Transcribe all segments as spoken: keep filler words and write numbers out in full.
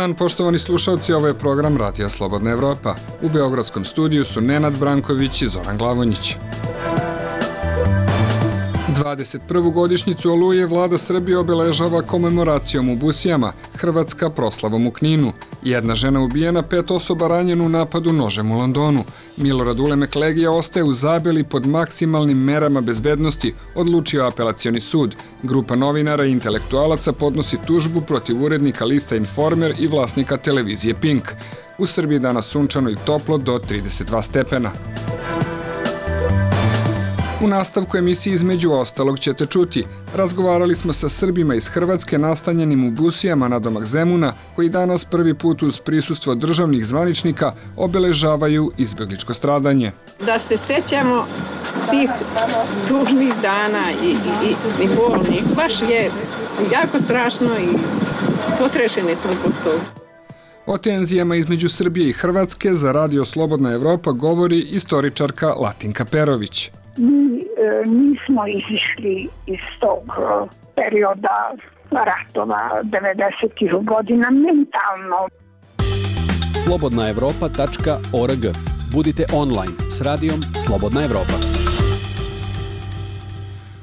dan, poštovani slušalci, ovo je program Radija Slobodna Evropa. U beogradskom studiju su Nenad Branković i Zoran Glavonjić. dvadeset prvu godišnjicu Oluje vlada Srbije obeležava komemoracijom u Busijama, Hrvatska proslavom u Kninu. Jedna žena ubijena, pet osoba ranjeno u napadu nožem u Londonu. Milorad Ulemek Legija ostaje u Zabeli pod maksimalnim merama bezbednosti, odlučio apelacioni sud. Grupa novinara i intelektualaca podnosi tužbu protiv urednika lista Informer i vlasnika televizije Pink. U Srbiji danas sunčano i toplo do trideset dva stepena. U nastavku emisije između ostalog ćete čuti. Razgovarali smo sa Srbima iz Hrvatske nastanjenim u Busijama nadomak Zemuna, koji danas prvi put uz prisustvo državnih zvaničnika obeležavaju izbegličko stradanje. Da se sećamo tih tužnih dana i, i, i bolnih, baš je jako strašno i potrešeni smo zbog toga. O tenzijama između Srbije i Hrvatske za Radio Slobodna Evropa govori istoričarka Latinka Perović. Mi e, nismo izišli iz tog e, perioda ratova devedesetih godina mentalno. slobodna evropa tačka org. Budite online s radijom Slobodna Evropa.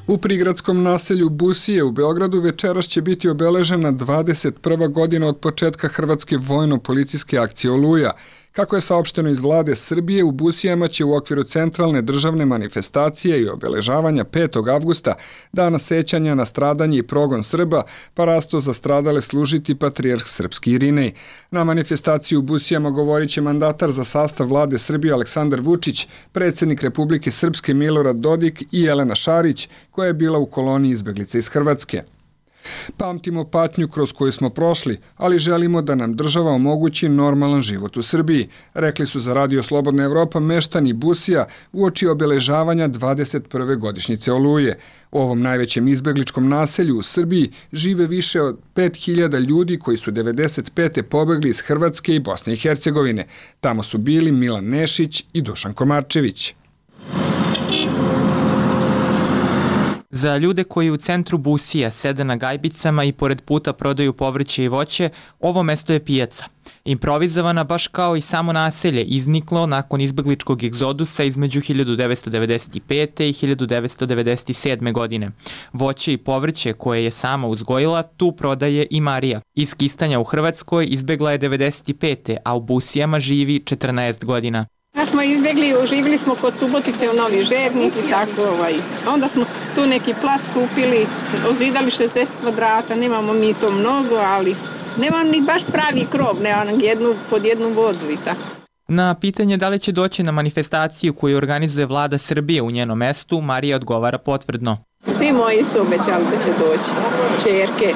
U prigradskom naselju Busije u Beogradu večeras će biti obeležena dvadeset prva godina od početka Hrvatske vojno-policijske akcije Oluja. Kako je saopšteno iz vlade Srbije, u Busijama će u okviru centralne državne manifestacije i obeležavanja petog avgusta, dana sećanja na stradanje i progon Srba, parasto za stradale služiti patrijarh srpski Irinej. Na manifestaciji u Busijama govorit će mandatar za sastav vlade Srbije Aleksandar Vučić, predsjednik Republike Srpske Milorad Dodik i Jelena Šarić, koja je bila u koloniji izbeglica iz Hrvatske. Pamtimo patnju kroz koju smo prošli, ali želimo da nam država omogući normalan život u Srbiji, rekli su za Radio Slobodna Evropa meštani Busija uoči obeležavanja dvadeset prve godišnjice Oluje. U ovom najvećem izbegličkom naselju u Srbiji žive više od pet hiljada ljudi koji su devedeset pete pobegli iz Hrvatske i Bosne i Hercegovine. Tamo su bili Milan Nešić i Dušan Komarčević. Za ljude koji u centru Busija sede na gajbicama i pored puta prodaju povrće i voće, ovo mesto je pijaca. Improvizovana baš kao i samo naselje, izniklo nakon izbegličkog egzodusa između hiljadu devetsto devedeset pete i hiljadu devetsto devedeset sedme. godine. Voće i povrće koje je sama uzgojila tu prodaje i Marija. Iz Kistanja u Hrvatskoj izbegla je devedeset pete. a u Busijama živi četrnaest godina. Ja smo izbjegli, živjeli smo kod Subotice u Novi Žednik i tako. Ovaj. Onda smo tu neki plac kupili, ozidali šezdeset kvadrata, nemamo mi to mnogo, ali nemam ni baš pravi krov, nemam jednu, pod jednu vodu i tako. Na pitanje da li će doći na manifestaciju koju organizuje vlada Srbije u njenom mestu, Marija odgovara potvrdno. Svi moji su obećali da će doći, čerke,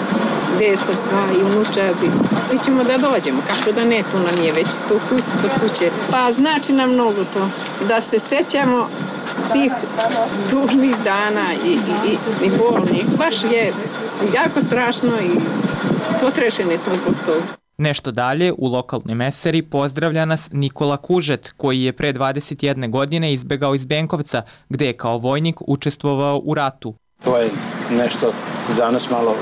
deca sva i unučadi. Svi ćemo da dođemo, kako da ne, tu nam je već tu kod kuće. Pa znači nam mnogo to, da se sećamo tih tužnih dana i, i, i bolnih. Baš je jako strašno i potrešeni smo zbog toga. Nešto dalje, u lokalnoj mesari pozdravlja nas Nikola Kužet, koji je pre dvadeset jedne godine izbegao iz Benkovca, gde je kao vojnik učestvovao u ratu. To je nešto za nas malo,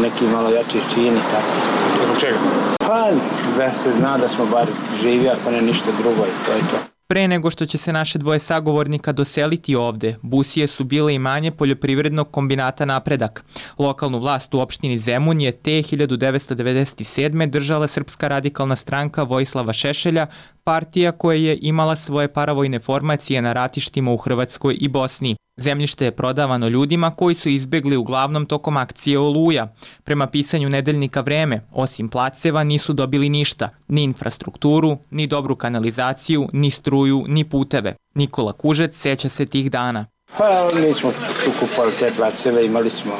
neki malo jači čini, tako. Zbog čega? Pa da se zna da smo bar živi, ako ne ništa drugo i to je to. Pre nego što će se naše dvoje sagovornika doseliti ovde, Busije su bile imanje poljoprivrednog kombinata Napredak. Lokalnu vlast u opštini Zemun je te hiljadu devetsto devedeset sedme. držala Srpska radikalna stranka Vojislava Šešelja, partija koja je imala svoje paravojne formacije na ratištima u Hrvatskoj i Bosni. Zemljište je prodavano ljudima koji su izbegli uglavnom tokom akcije Oluja. Prema pisanju nedeljnika Vreme, osim placeva nisu dobili ništa, ni infrastrukturu, ni dobru kanalizaciju, ni struju, ni puteve. Nikola Kužet seća se tih dana. Pa mi smo tu kupali te placeve, imali smo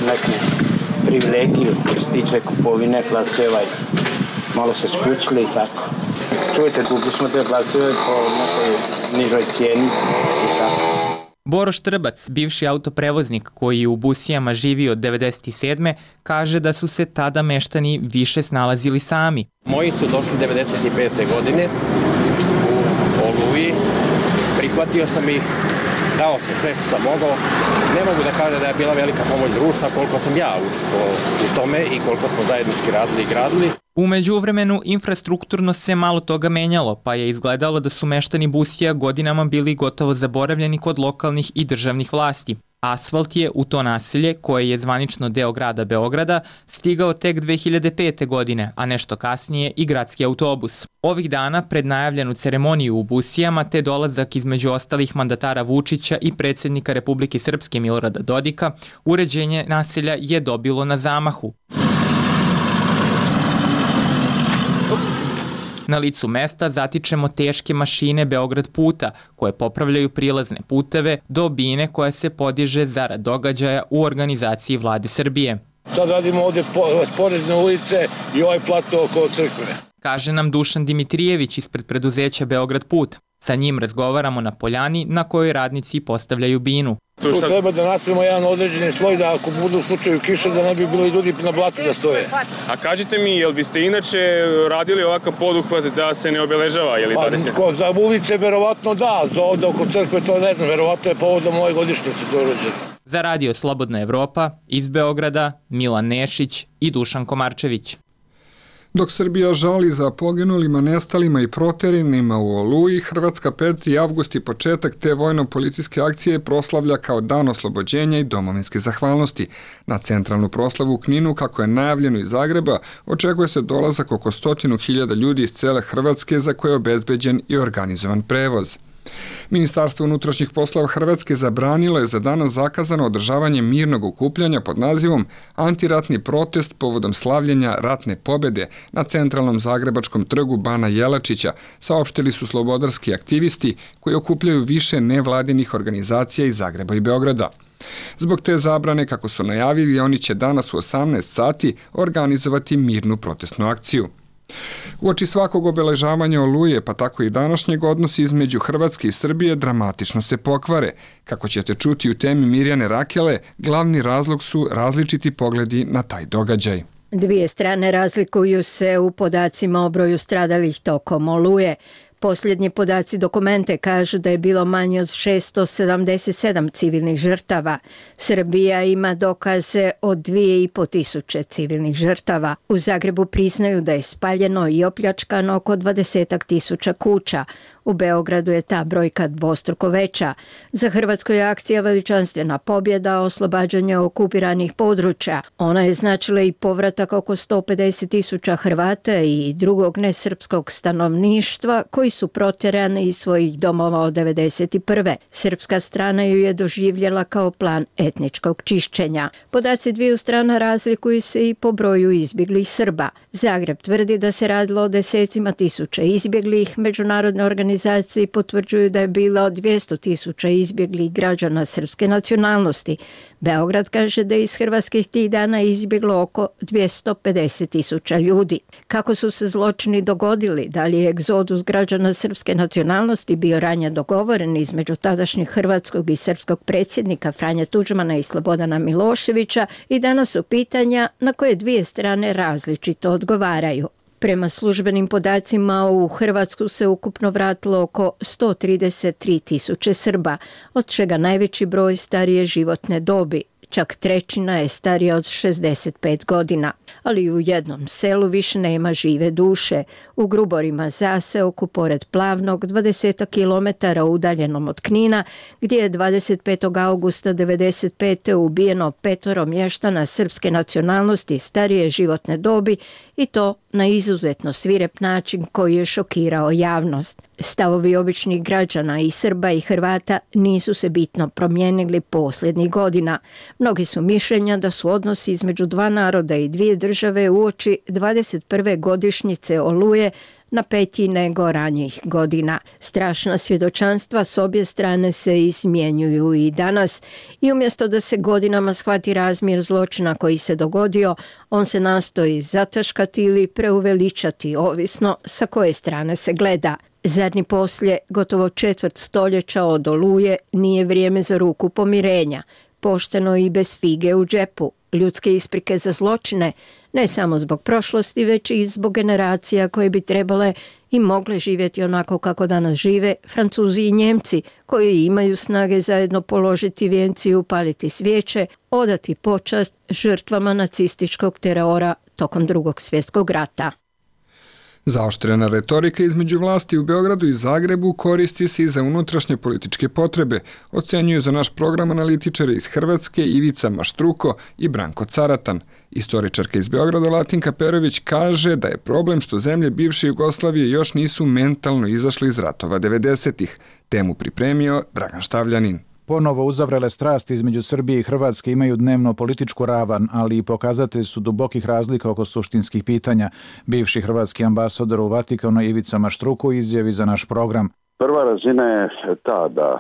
neku privilegiju što se tiče kupovine placeva i malo se skućili i tako. Čujete, kupili smo te placeve po nekoj nižoj cijeni i tako. Boro Štrbac, bivši autoprevoznik koji je u Busijama živio od devedeset sedme. kaže da su se tada meštani više snalazili sami. Moji su došli devedeset pete. godine u Oluji. Prihvatio sam ih dao sam sve što sam mogao. Ne mogu da kažem da je bila velika pomoć društva koliko sam ja učestvovao u tome i koliko smo zajednički radili i gradili. U međuvremenu infrastrukturno se malo toga menjalo, pa je izgledalo da su meštani Busija godinama bili gotovo zaboravljeni kod lokalnih i državnih vlasti. Asfalt je u to naselje, koje je zvanično deo grada Beograda, stigao tek dve hiljade pete. godine, a nešto kasnije i gradski autobus. Ovih dana, pred najavljenu ceremoniju u Busijama, te dolazak između ostalih mandatara Vučića i predsjednika Republike Srpske Milorada Dodika, uređenje naselja je dobilo na zamahu. Na licu mesta zatičemo teške mašine Beograd puta, koje popravljaju prilazne puteve do bine koja se podiže zarad događaja u organizaciji Vlade Srbije. Sad radimo ovde sporedne ulice i ovaj plato oko crkve. Kaže nam Dušan Dimitrijević ispred preduzeća Beograd put. Sa njim razgovaramo na poljani na kojoj radnici postavljaju binu. Tu treba da napravimo jedan određeni sloj da ako budu u slučaju kiša da ne bi bili ljudi na blatu da stoje. A kažite mi, jel biste inače radili ovakav poduhvat da se ne obeležava? Jel pa, ko, za ulice verovatno da, za ovde oko crkve to ne znam, verovatno je povodom ove godišnjice za urađeno. Za radio Slobodna Evropa iz Beograda Milan Nešić i Dušan Komarčević. Dok Srbija žali za poginulima, nestalima i proterenima u Oluji, Hrvatska peti avgust i početak te vojno-policijske akcije proslavlja kao dan oslobođenja i domovinske zahvalnosti. Na centralnu proslavu u Kninu, kako je najavljeno iz Zagreba, očekuje se dolazak oko stotinu hiljada ljudi iz cele Hrvatske za koje je obezbeđen i organizovan prevoz. Ministarstvo unutrašnjih poslova Hrvatske zabranilo je za danas zakazano održavanje mirnog okupljanja pod nazivom Antiratni protest povodom slavljenja ratne pobede na centralnom zagrebačkom trgu Bana Jelačića, saopštili su slobodarski aktivisti koji okupljaju više nevladinih organizacija iz Zagreba i Beograda. Zbog te zabrane, kako su najavili, oni će danas u osamnaest sati organizovati mirnu protestnu akciju. Uoči svakog obeležavanja Oluje, pa tako i današnjeg, odnosi između Hrvatske i Srbije dramatično se pokvare. Kako ćete čuti u temi Mirjane Rakele, glavni razlog su različiti pogledi na taj događaj. Dvije strane razlikuju se u podacima o broju stradalih tokom Oluje. Posljednji podaci dokumente kažu da je bilo manje od šesto sedamdeset sedam civilnih žrtava. Srbija ima dokaze od dvije i po tisuće civilnih žrtava. U Zagrebu priznaju da je spaljeno i opljačkano oko dvadesetak tisuća kuća. U Beogradu je ta brojka dvostruko veća. Za Hrvatsku je akcija veličanstvena pobjeda, oslobađanje okupiranih područja. Ona je značila i povratak oko sto pedeset tisuća Hrvata i drugog nesrpskog stanovništva koji su protjerani iz svojih domova od devedeset prve. Srpska strana ju je doživjela kao plan etničkog čišćenja. Podaci dviju strana razlikuju se i po broju izbjeglih Srba. Zagreb tvrdi da se radilo o desecima tisuća izbjeglih. Međunarodne organizacije potvrđuju da je bilo dvjesto tisuća izbjeglih građana srpske nacionalnosti. Beograd kaže da je iz Hrvatske tih dana izbjeglo oko dvjesto pedeset tisuća ljudi. Kako su se zločini dogodili? Da li je egzodus građana srpske nacionalnosti bio ranije dogovoren između tadašnjeg hrvatskog i srpskog predsjednika Franje Tuđmana i Slobodana Miloševića? I danas su pitanja na koje dvije strane različito odgovaraju. Prema službenim podacima u Hrvatsku se ukupno vratilo oko sto trideset tri tisuće Srba, od čega najveći broj starije životne dobi. Čak trećina je starija od šezdeset pet godina, ali u jednom selu više nema žive duše. U Gruborima zaseoku pored Plavnog, dvadeset kilometara udaljenom od Knina, gdje je dvadeset petog augusta devedeset pete ubijeno petoro mještana srpske nacionalnosti starije životne dobi, i to na izuzetno svirep način koji je šokirao javnost. Stavovi običnih građana i Srba i Hrvata nisu se bitno promijenili posljednjih godina. Mnogi su mišljenja da su odnosi između dva naroda i dvije države uoči dvadeset prve godišnjice Oluje napetiji nego ranijih godina. Strašna svjedočanstva s obje strane se izmjenjuju i danas, i umjesto da se godinama shvati razmjer zločina koji se dogodio, on se nastoji zataškati ili preuveličati, ovisno sa koje strane se gleda. Zar ni poslije gotovo četvrt stoljeća od Oluje nije vrijeme za ruku pomirenja, pošteno i bez fige u džepu, ljudske isprike za zločine, ne samo zbog prošlosti, već i zbog generacija koje bi trebale i mogle živjeti onako kako danas žive Francuzi i Njemci, koji imaju snage zajedno položiti vijenci i upaliti svijeće, odati počast žrtvama nacističkog terora tokom Drugog svjetskog rata. Zaoštrena retorika između vlasti u Beogradu i Zagrebu koristi se i za unutrašnje političke potrebe, ocenjuju za naš program analitičari iz Hrvatske Ivica Maštruko i Branko Caratan. Istoričarka iz Beograda Latinka Perović kaže da je problem što zemlje bivše Jugoslavije još nisu mentalno izašle iz ratova devedesetih. Temu pripremio Dragan Štavljanin. Ponovo uzavrele strasti između Srbije i Hrvatske imaju dnevno političku ravan, ali i pokazatelj su dubokih razlika oko suštinskih pitanja. Bivši hrvatski ambasador u Vatikanu Ivica Maštruko izjavi za naš program. Prva razina je ta da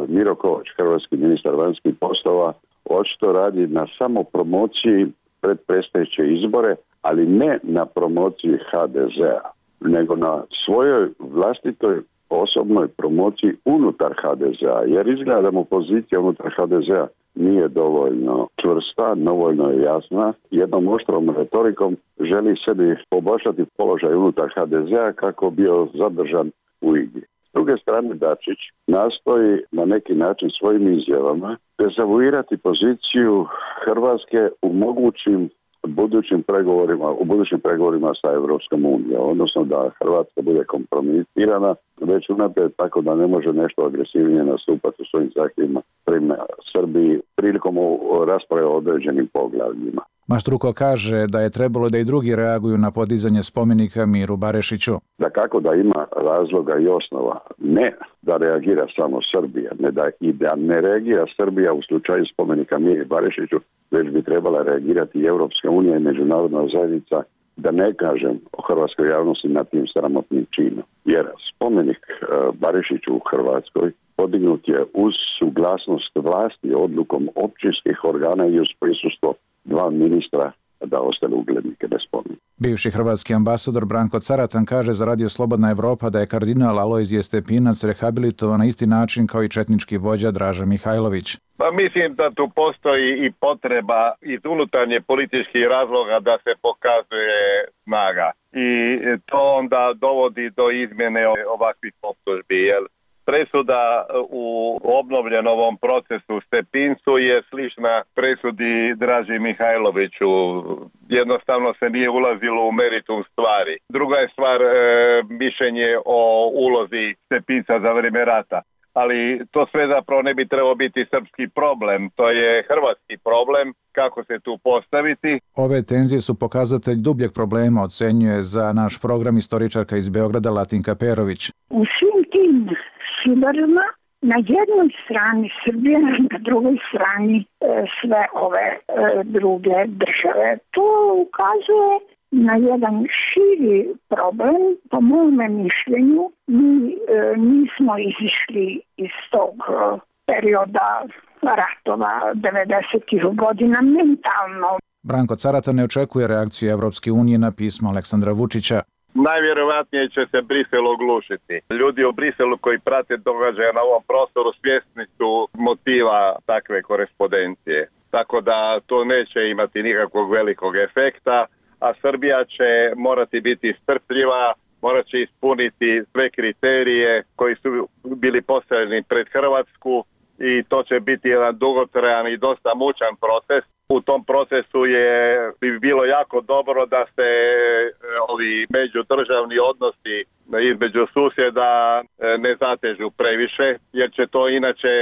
Miro Kovač, hrvatski ministar vanjskih poslova, očito radi na samo promociji pred predstojeće izbore, ali ne na promociji ha de zea, nego na svojoj vlastitoj osobnoj promociji unutar ha de zea, jer izgleda da mu pozicija unutar ha de zea nije dovoljno čvrsta, dovoljno je jasna. Jednom oštrom retorikom želi sebi poboljšati položaj unutar ha de zea kako bio zadržan u igri. S druge strane, Dačić nastoji na neki način svojim izjavama dezavuirati poziciju Hrvatske u mogućim budućim pregovorima, u budućim pregovorima sa Europskom unijom, odnosno da Hrvatska bude kompromitirana već unaprijed tako da ne može nešto agresivnije nastupati u svojim zahtjevima prema Srbiji prilikom rasprave o određenim poglavljima. Maštruko kaže da je trebalo da i drugi reaguju na podizanje spomenika Miru Barešiću. Da kako da ima razloga i osnova, ne da reagira samo Srbija, ne da i da ne reagira Srbija u slučaju spomenika Miri Barešiću, već bi trebala reagirati i Europska unija i međunarodna zajednica, da ne kažem o hrvatskoj javnosti nad tim sramotnim činom. Jer spomenik Barešiću u Hrvatskoj podignut je uz suglasnost vlasti odlukom općinskih organa i uz prisustvo dva ministra da ostale uglednike bez spomenika. Bivši hrvatski ambasador Branko Caratan kaže za Radio Slobodna Evropa da je kardinal Alojzije Stepinac rehabilitovan na isti način kao i četnički vođa Draža Mihajlović. Pa mislim da tu postoji i potreba iz unutarnje političkih razloga da se pokazuje snaga. I to onda dovodi do izmjene ovakvih optužbi, jer presuda u obnovljenom ovom procesu Stepincu je slična presudi Draži Mihajloviću. Jednostavno se nije ulazilo u meritum stvari. Druga je stvar e, mišljenje o ulozi Stepinca za vrijeme rata. Ali to sve zapravo ne bi trebao biti srpski problem. To je hrvatski problem, kako se tu postaviti. Ove tenzije su pokazatelj dubljeg problema, ocenjuje za naš program istoričarka iz Beograda Latinka Perović. U svim tim sudarima na jednoj strani Srbija, na drugoj strani e, sve ove e, druge države. To ukazuje na jedan širi problem. Po mome mišljenju mi e, nismo izišli iz tog e, perioda ratova devedesetih godina mentalno. Branko Caratan ne očekuje reakciju Evropske unije na pismo Aleksandra Vučića. Najvjerojatnije će se Brisel oglušiti. Ljudi u Briselu koji prate događaje na ovom prostoru svjesni su motiva takve korespondencije. Tako da to neće imati nikakvog velikog efekta, a Srbija će morati biti strpljiva, morat će ispuniti sve kriterije koji su bili postavljeni pred Hrvatsku i to će biti jedan dugotrajan i dosta mučan proces. U tom procesu je bi bilo jako dobro da se ovi međudržavni odnosi između susjeda ne zatežu previše, jer će to inače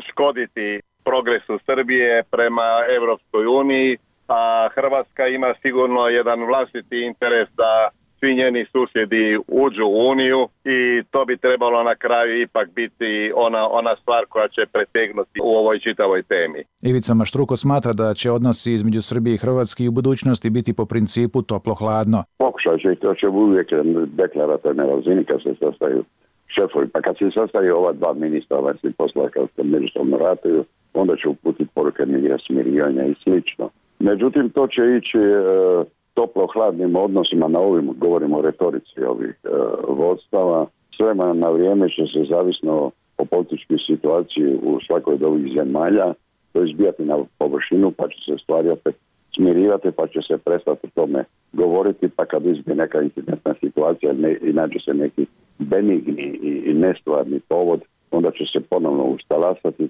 škoditi progresu Srbije prema Europskoj uniji, a Hrvatska ima sigurno jedan vlastiti interes da svi njeni susjedi uđu u Uniju i to bi trebalo na kraju ipak biti ona, ona stvar koja će pretegnuti u ovoj čitavoj temi. Ivica Maštruko smatra da će odnosi između Srbije i Hrvatske i u budućnosti biti po principu toplo-hladno. Pokušat će i to će uvijek deklaratorne razini kad se sastaju šefovi. Pa kad se sastaju ova dva ministra vanjskih poslova kad se međusobno ratuju, onda će uputiti poruke mira, smirivanja i slično. Međutim, to će ići e, toplo-hladnim odnosima na ovim, govorimo o retorici ovih e, vodstava. Sve na vrijeme će se zavisno o političkoj situaciji u svakoj od ovih zemalja to izbijati na površinu, pa će se stvari opet smirivati, pa će se prestati o tome govoriti, pa kad izbije neka incidentna situacija ne, i nađe se neki benigni i, i nestvarni povod, onda će se ponovno ustalasati.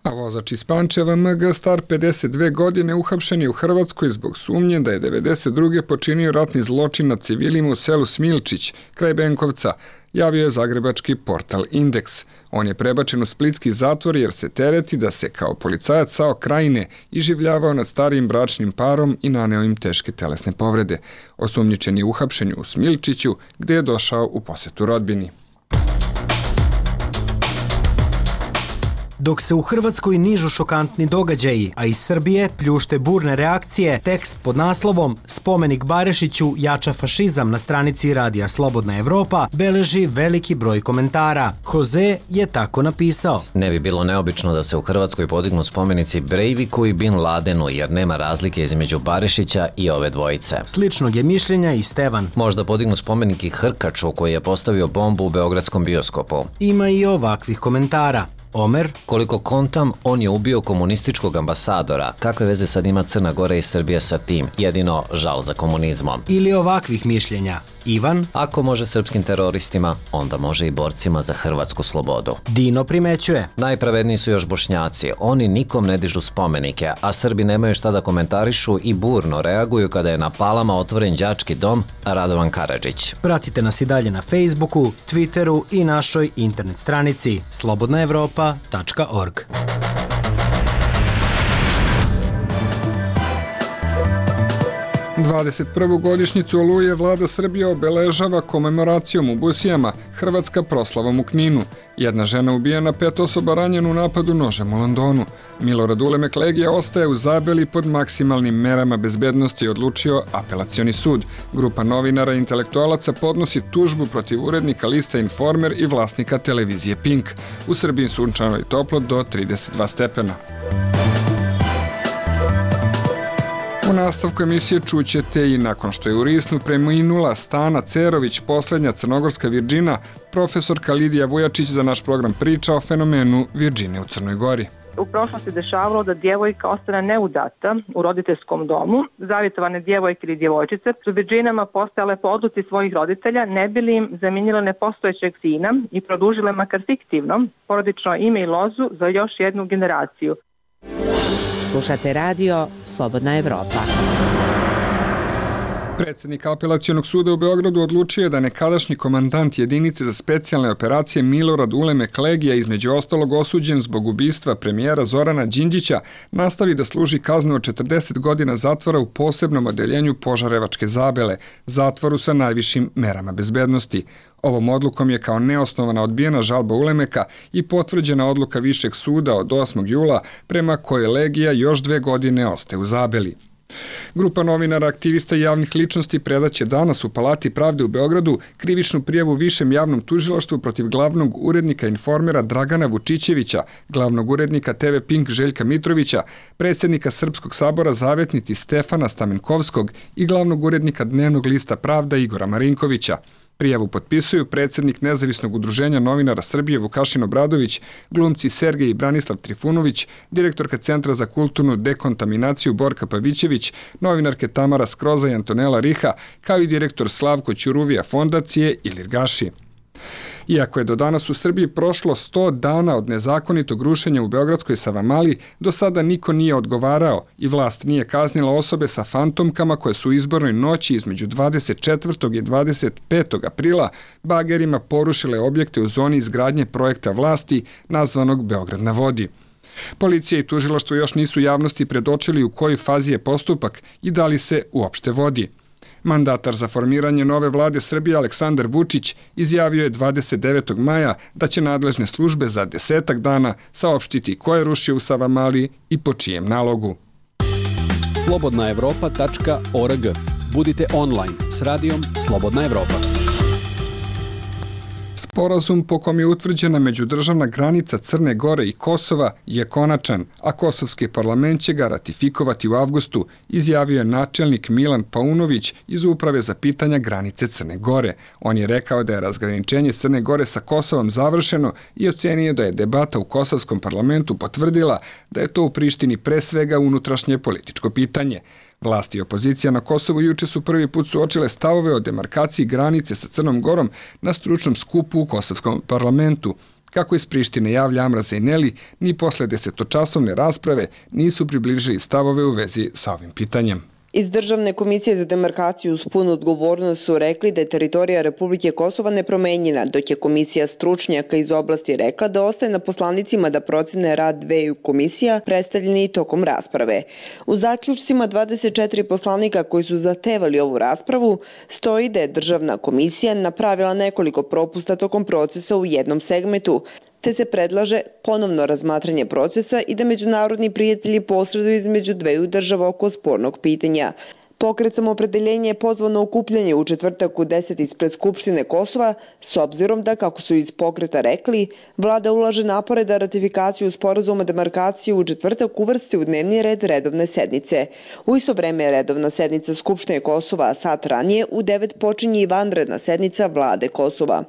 A vozač iz Pančeva M G star pedeset dve godine uhapšen je u Hrvatskoj zbog sumnje da je devedeset druge počinio ratni zločin nad civilima u selu Smilčić, kraj Benkovca, javio je zagrebački portal Indeks. On je prebačen u splitski zatvor jer se tereti da se kao policajac Sao Krajine iživljavao nad starijim bračnim parom i naneo im teške telesne povrede. Osumnjičen je uhapšen u Smilčiću, gde je došao u posetu rodbini. Dok se u Hrvatskoj nižu šokantni događaji, a iz Srbije pljušte burne reakcije, tekst pod naslovom Spomenik Barišiću jača fašizam na stranici Radija Slobodna Evropa beleži veliki broj komentara. Jose je tako napisao. Ne bi bilo neobično da se u Hrvatskoj podignu spomenici Breiviku i Bin Ladenu, jer nema razlike između Barišića i ove dvojice. Sličnog je mišljenja i Stevan. Možda podignu spomenik i Hrkaču koji je postavio bombu u beogradskom bioskopu. Ima i ovakvih komentara. Omer, koliko kontam, on je ubio komunističkog ambasadora. Kakve veze sad ima Crna Gora i Srbija sa tim? Jedino žal za komunizmom. Ili ovakvih mišljenja. Ivan, ako može srpskim teroristima, onda može i borcima za hrvatsku slobodu. Dino primećuje. Najpravedniji su još Bošnjaci. Oni nikom ne dižu spomenike, a Srbi nemaju šta da komentarišu i burno reaguju kada je na Palama otvoren đački dom Radovan Karadžić. Pratite nas i dalje na Facebooku, Twitteru i našoj internet stranici slobodna evropa tačka org. dvadeset prvu godišnjicu Oluje vlada Srbije obeležava komemoracijom u Busijama, Hrvatska proslavom u Kninu. Jedna žena ubijena, pet osoba ranjeno u napadu nožem u Londonu. Milorad Ulemek Legija ostaje u Zabeli pod maksimalnim merama bezbednosti, odlučio apelacioni sud. Grupa novinara i intelektualaca podnosi tužbu protiv urednika lista Informer i vlasnika televizije Pink. U Srbiji sunčano i toplo do trideset dva stepena. U nastavku emisije čućete i nakon što je u Risnu preminula Stana Cerović, poslednja crnogorska Virđina, profesorka Lidija Vujačić za naš program priča o fenomenu Virđine u Crnoj Gori. U prošlosti dešavalo da djevojka ostane neudata u roditeljskom domu. Zavjetovane djevojke ili djevojčice su Virđinama postajale po odluci svojih roditelja, ne bi li im zamijenile nepostojećeg sina i produžile makar fiktivno porodično ime i lozu za još jednu generaciju. Slušate radio Slobodna Evropa. Predsjednik apelacionog suda u Beogradu odlučio je da nekadašnji komandant jedinice za specijalne operacije Milorad Ulemek Legija, između ostalog osuđen zbog ubistva premijera Zorana Đinđića, nastavi da služi kaznu od četrdeset godina zatvora u posebnom odeljenju Požarevačke Zabele, zatvoru sa najvišim merama bezbednosti. Ovom odlukom je kao neosnovana odbijena žalba Ulemeka i potvrđena odluka Višeg suda od osmog jula prema kojoj Legija još dve godine ostaje u Zabeli. Grupa novinara, aktivista i javnih ličnosti predaće danas u Palati pravde u Beogradu krivičnu prijavu Višem javnom tužilaštvu protiv glavnog urednika Informera Dragana Vučićevića, glavnog urednika te ve Pink Željka Mitrovića, predsjednika Srpskog sabora Zavetnici Stefana Stamenkovskog i glavnog urednika Dnevnog lista Pravda Igora Marinkovića. Prijavu potpisuju predsjednik Nezavisnog udruženja novinara Srbije Vukašin Obradović, glumci Sergej i Branislav Trifunović, direktorka Centra za kulturnu dekontaminaciju Borka Pavićević, novinarke Tamara Skroza i Antonela Riha, kao i direktor Slavko Ćuruvija fondacije Ilir Gaši. Iako je do danas u Srbiji prošlo sto dana od nezakonitog rušenja u beogradskoj Savamali, do sada niko nije odgovarao i vlast nije kaznila osobe sa fantomkama koje su u izbornoj noći između dvadeset četvrtog i dvadeset petog aprila bagerima porušile objekte u zoni izgradnje projekta vlasti nazvanog Beograd na vodi. Policija i tužilaštvo još nisu javnosti predočili u kojoj fazi je postupak i da li se uopšte vodi. Mandatar za formiranje nove vlade Srbije Aleksandar Vučić izjavio je dvadeset devetog maja da će nadležne službe za desetak dana saopštiti ko je rušio u Savamali i po čijem nalogu. slobodna evropa tačka org. Budite online s radijom Slobodna Evropa. Sporazum po kom je utvrđena međudržavna granica Crne Gore i Kosova je konačan, a kosovski parlament će ga ratifikovati u avgustu, izjavio je načelnik Milan Paunović iz Uprave za pitanja granice Crne Gore. On je rekao da je razgraničenje Crne Gore sa Kosovom završeno i ocenio da je debata u kosovskom parlamentu potvrdila da je to u Prištini pre svega unutrašnje političko pitanje. Vlasti i opozicija na Kosovu juče su prvi put suočile stavove o demarkaciji granice sa Crnom Gorom na stručnom skupu u kosovskom parlamentu. Kako iz Prištine javlja Amra Zejneli, ni posle desetočasovne rasprave nisu približili stavove u vezi sa ovim pitanjem. Iz Državne komisije za demarkaciju uz punu odgovornost su rekli da je teritorija Republike Kosova nepromenjena, dok je komisija stručnjaka iz oblasti rekla da ostaje na poslanicima da procene rad dveju komisija predstavljeni tokom rasprave. U zaključcima dvadeset četiri poslanika koji su zahtevali ovu raspravu stoji da je Državna komisija napravila nekoliko propusta tokom procesa u jednom segmentu, te se predlaže ponovno razmatranje procesa i da međunarodni prijatelji posreduju između dveju država oko spornog pitanja. Pokret Samoopredeljenje je pozvao na okupljanje u četvrtak u deset ispred Skupštine Kosova, s obzirom da, kako su iz pokreta rekli, vlada ulaže napore da ratifikaciju sporazuma demarkacije u četvrtak uvrsti u dnevni red redovne sednice. U isto vreme je redovna sednica Skupštine Kosova, a sat ranije u devet počinje i vanredna sednica vlade Kosova.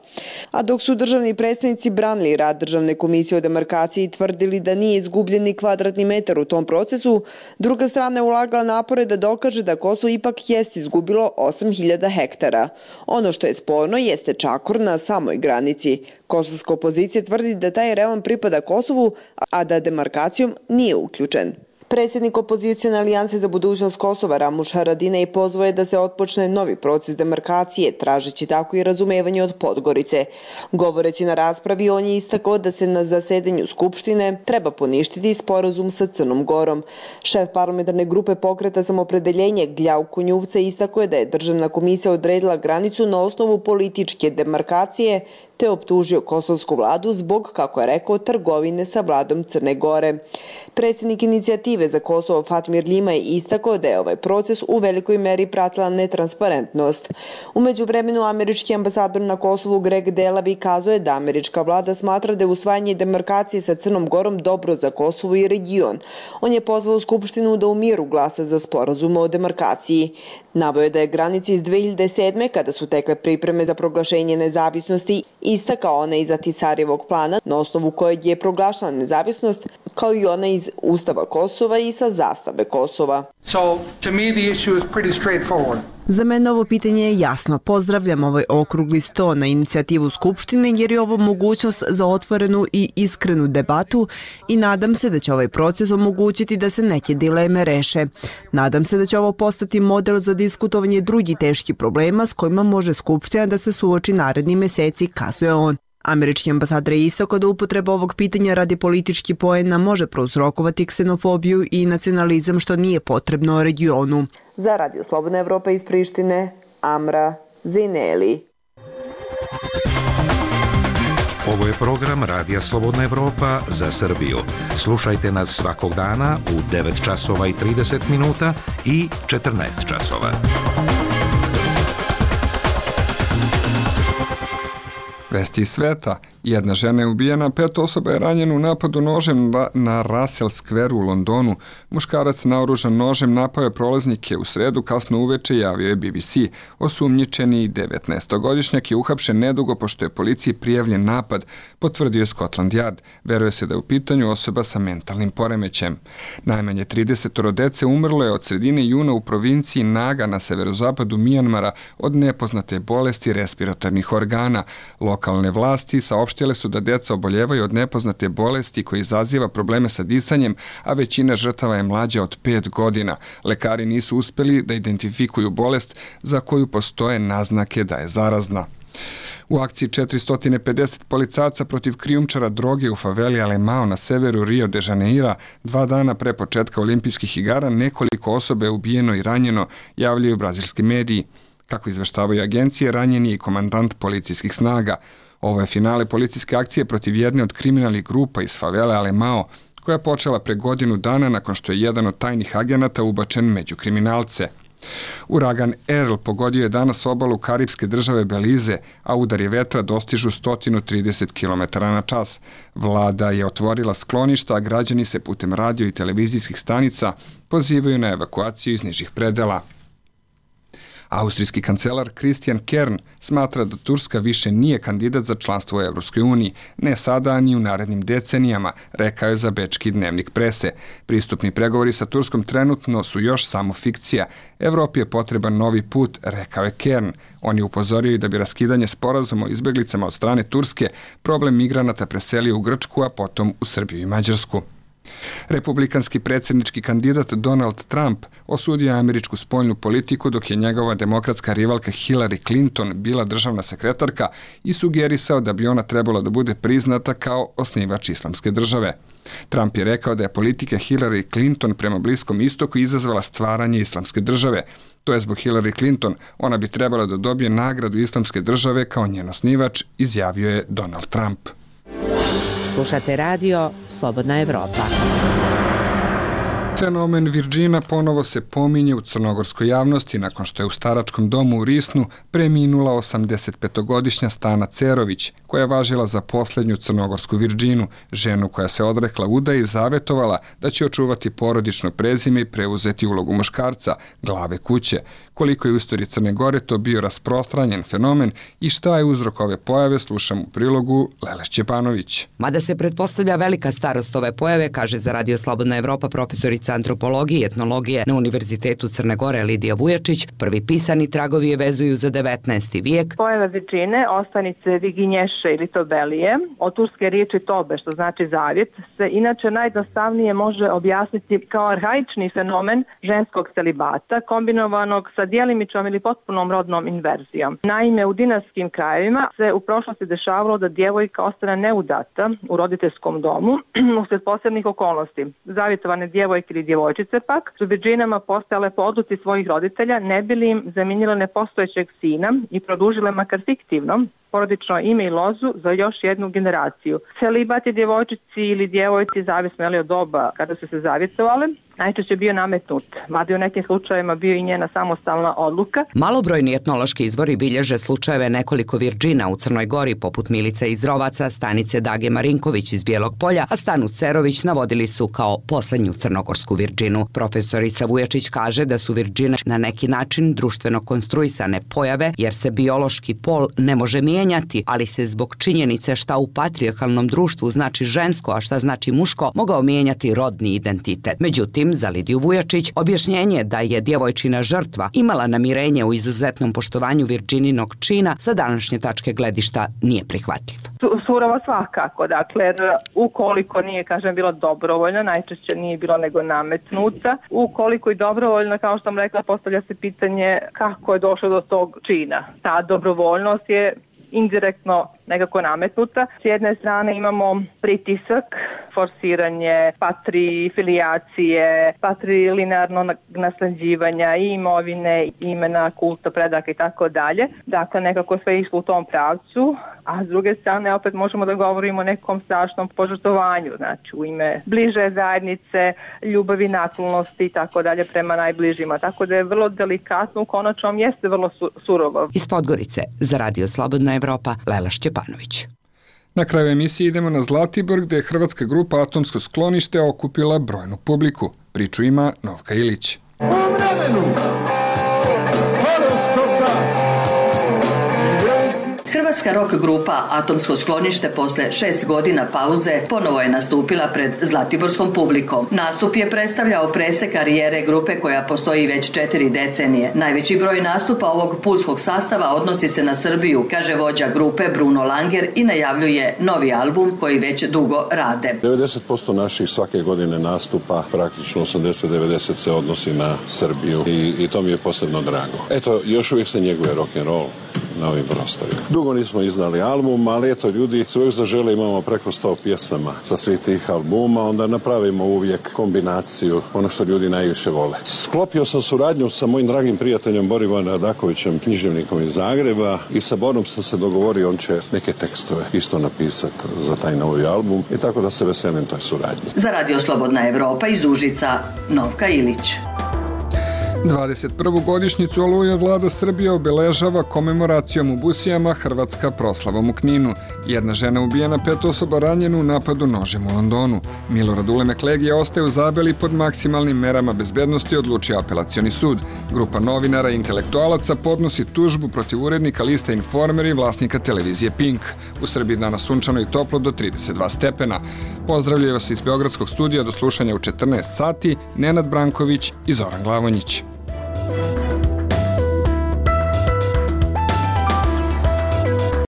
A dok su državni predstavnici branili rad Državne komisije o demarkaciji i tvrdili da nije izgubljen ni kvadratni metar u tom procesu, druga strana je ulagala napore da dokaže da Kosovo Kosovo ipak jest izgubilo osam hiljada hektara. Ono što je sporno jeste čakor na samoj granici. Kosovska opozicija tvrdi da taj rejon pripada Kosovu, a da demarkacijom nije uključen. Predsjednik opozicijone alijanse za budućnost Kosova Ramuš Haradinaj pozvao je da se otpočne novi proces demarkacije, tražeći tako i razumevanje od Podgorice. Govoreći na raspravi, on je istakao da se na zasedanju Skupštine treba poništiti sporazum sa Crnom Gorom. Šef parlamentarne grupe pokreta Samoopredeljenje Gljauko Njuvca istakao je da je Državna komisija odredila granicu na osnovu političke demarkacije, te optužio kosovsku vladu zbog, kako je rekao, trgovine sa vladom Crne Gore. Predsjednik inicijative za Kosovo Fatmir Ljima je istakao da je ovaj proces u velikoj meri pratila netransparentnost. U međuvremenu američki ambasador na Kosovu Greg Delavi kazao je da američka vlada smatra da je usvajanje demarkacije sa Crnom Gorom dobro za Kosovo i region. On je pozvao Skupštinu da u miru glasa za sporazum o demarkaciji. Naveo je da je granica iz dve hiljade sedme, kada su tekle pripreme za proglašenje nezavisnosti, ista kao ona iz Ahtisarjevog plana, na osnovu kojeg je proglašena nezavisnost, kao i ona iz Ustava Kosova i sa zastave Kosova. So, to me the issue is pretty straightforward. Za mene ovo pitanje je jasno. Pozdravljam ovaj okrugli sto na inicijativu Skupštine jer je ovo mogućnost za otvorenu i iskrenu debatu i nadam se da će ovaj proces omogućiti da se neke dileme reše. Nadam se da će ovo postati model za diskutovanje drugih teških problema s kojima može Skupština da se suoči naredni meseci, kazuje on. Američki ambasador je istakao da upotreba ovog pitanja radi politički poena može prouzrokovati ksenofobiju i nacionalizam, što nije potrebno regionu. Za Radio Slobodna Evropa iz Prištine, Amra Zejneli. Ovo je program Radija Slobodna Evropa za Srbiju. Slušajte nas svakog dana u devet časova i trideset minuta i četrnaest časova. Vesti iz sveta. Jedna žena je ubijena, pet osoba je ranjeno u napadu nožem na Russell Square u Londonu. Muškarac naoružan nožem napao je prolaznike u sredu kasno uveče, javio je B B C. Osumnjičeni devetnaestogodišnjak je uhapšen nedugo pošto je policiji prijavljen napad, potvrdio je Scotland Yard. Veruje se da je u pitanju osoba sa mentalnim poremećem. Najmanje trideset dece umrlo je od sredine juna u provinciji Naga na severozapadu Mijanmara od nepoznate bolesti respiratornih organa. Lokalne vlasti saopštile su da deca oboljevaju od nepoznate bolesti koja izaziva probleme sa disanjem, a većina žrtava je mlađa od pet godina. Lekari nisu uspeli da identifikuju bolest za koju postoje naznake da je zarazna. U akciji četiristo pedeset policajaca protiv krijumčara droge u faveli Alemao na severu Rio de Janeira dva dana pre početka olimpijskih igara nekoliko osoba je ubijeno i ranjeno, javljaju brazilski mediji. Kako izveštavaju agencije, ranjen je i komandant policijskih snaga. Ovo je finale policijske akcije protiv jedne od kriminalnih grupa iz favele Alemao, koja je počela pre godinu dana nakon što je jedan od tajnih agenata ubačen među kriminalce. Uragan Earl pogodio je danas obalu karipske države Belize, a udari vetra dostižu sto trideset kilometara na čas. Vlada je otvorila skloništa, a građani se putem radio i televizijskih stanica pozivaju na evakuaciju iz nižih predela. Austrijski kancelar Christian Kern smatra da Turska više nije kandidat za članstvo u Evropskoj uniji, ne sada ni u narednim decenijama, rekao je za bečki dnevnik prese. Pristupni pregovori sa Turskom trenutno su još samo fikcija. Evropi je potreban novi put, rekao je Kern. On je upozorio i da bi raskidanje sporazuma o izbeglicama od strane Turske problem migranata preselio u Grčku, a potom u Srbiju i Mađarsku. Republikanski predsjednički kandidat Donald Trump osudio je američku spoljnu politiku dok je njegova demokratska rivalka Hillary Clinton bila državna sekretarka i sugerisao da bi ona trebala da bude priznata kao osnivač islamske države. Trump je rekao da je politika Hillary Clinton prema Bliskom istoku izazvala stvaranje islamske države. To je zbog Hillary Clinton, ona bi trebala da dobije nagradu islamske države kao njen osnivač, izjavio je Donald Trump. Slušate radio Slobodna Evropa. Fenomen Virgina ponovo se pominje u crnogorskoj javnosti nakon što je u staračkom domu u Risnu preminula osamdesetpetogodišnja Stana Cerović, koja je važila za posljednju crnogorsku Virginu, ženu koja se odrekla udaje i zavetovala da će očuvati porodično prezime i preuzeti ulogu muškarca, glave kuće. Koliko je u istoriji Crne Gore to bio rasprostranjen fenomen i šta je uzrok ove pojave, slušam u prilogu Lele Šćepanović. Mada se pretpostavlja velika starost ove pojave, kaže za Radio Slobodna Evropa profesorica antropologije i etnologije na Univerzitetu Crne Gore Lidija Vujačić, prvi pisani tragovi je vezuju za devetnaesti vijek. Pojava Virgine, ostanice Viginješe ili Tobelije, od turske riječi tobe, što znači zavjet, se inače najjednostavnije može objasniti kao arhaični fenomen ženskog celibata, kombinovanog sa djelimičnom ili potpunom rodnom inverzijom. Naime, u dinastskim krajevima se u prošlosti dešavalo da djevojka ostane neudata u roditeljskom domu usred posebnih okolnosti. Zavjetovane djevojke ili djevojčice pak su virginama postajale po odluci svojih roditelja, ne bi li im zamijenile nepostojećeg sina i produžile makar fiktivno porodično ime i lozu za još jednu generaciju. Celibat je djevojčici ili djevojci, zavisno je li od doba kada su se zavjetovale, najčešće bio nametnut, mada je u nekim slučajevima bio i njena samostalna odluka. Malobrojni etnološki izvori bilježe slučajeve nekoliko Virgina u Crnoj Gori, poput Milice iz Rovaca, Stanice Dage Marinković iz Bijelog Polja, a Stanu Cerović navodili su kao posljednju crnogorsku Virginu. Profesorica Vujačić kaže da su Virgine na neki način društveno konstruisane pojave, jer se biološki pol ne može mijenjati, ali se zbog činjenice šta u patrijarhalnom društvu znači žensko, a šta znači muško, mogao mijenjati rodni identitet. Međutim, za Lidiju Vujačić, objašnjenje da je djevojčina žrtva imala namirenje u izuzetnom poštovanju Virgininog čina sa današnje tačke gledišta nije prihvatljiv. Surovo svakako, dakle, ukoliko nije, kažem, bilo dobrovoljno, najčešće nije bilo nego nametnuta, ukoliko i dobrovoljno, kao što sam rekla, postavlja se pitanje kako je došlo do tog čina. Ta dobrovoljnost je indirektno nekako nametnuta. S jedne strane imamo pritisak, forsiranje patrifilijacije, patrilinearno nasleđivanja i imovine, imena, kulta, predaka i tako dalje. Dakle, nekako sve išlo u tom pravcu, a s druge strane opet možemo da govorimo o nekom strašnom požrtvovanju, znači u ime bliže zajednice, ljubavi, naklonosti i tako dalje prema najbližima. Tako da je vrlo delikatno, u konačnom jeste vrlo su, surovo. Iz Podgorice za Radio Slobodna Evropa, Lela Šćepanović. Na kraju emisije idemo na Zlatibor, gdje je hrvatska grupa Atomsko sklonište okupila brojnu publiku. Priču ima Novka Ilić. U vremenu horoskopa. Hrvatska rock grupa Atomsko sklonište posle šest godina pauze ponovo je nastupila pred zlatiborskom publikom. Nastup je predstavljao presek karijere grupe koja postoji već četiri decenije. Najveći broj nastupa ovog pulskog sastava odnosi se na Srbiju, kaže vođa grupe Bruno Langer i najavljuje novi album koji već dugo rade. devedeset posto naših svake godine nastupa, praktično osamdeset do devedeset se odnosi na Srbiju i, i to mi je posebno drago. Eto, još uvijek se njeguje rock'n'roll na ovim prostorima. Dugo nismo iznali album, ali eto, ljudi svojeg zažele imamo preko sto pjesama sa svih tih albuma, onda napravimo uvijek kombinaciju, ono što ljudi najviše vole. Sklopio sam suradnju sa mojim dragim prijateljem Borivom Radakovićem, književnikom iz Zagreba, i sa Borom sam se dogovorio, on će neke tekstove isto napisati za taj novi album i tako da se veselim toj suradnji. Za Radio Slobodna Evropa iz Užica, Novka Ilić. dvadeset prvu godišnjicu Oluje vlada Srbije obeležava komemoracijom u Busijama, Hrvatska proslavom u Kninu. Jedna žena ubijena, pet osoba ranjeno u napadu nožem u Londonu. Milorad Ulemek Legija ostaje u Zabeli pod maksimalnim merama bezbednosti, odlučio apelacioni sud. Grupa novinara i intelektualaca podnosi tužbu protiv urednika lista Informer i vlasnika televizije Pink. U Srbiji danas sunčano i toplo do trideset dva stepena. Pozdravljaju vas iz Beogradskog studija do slušanja u četrnaest sati Nenad Branković i Zoran Glavonjić.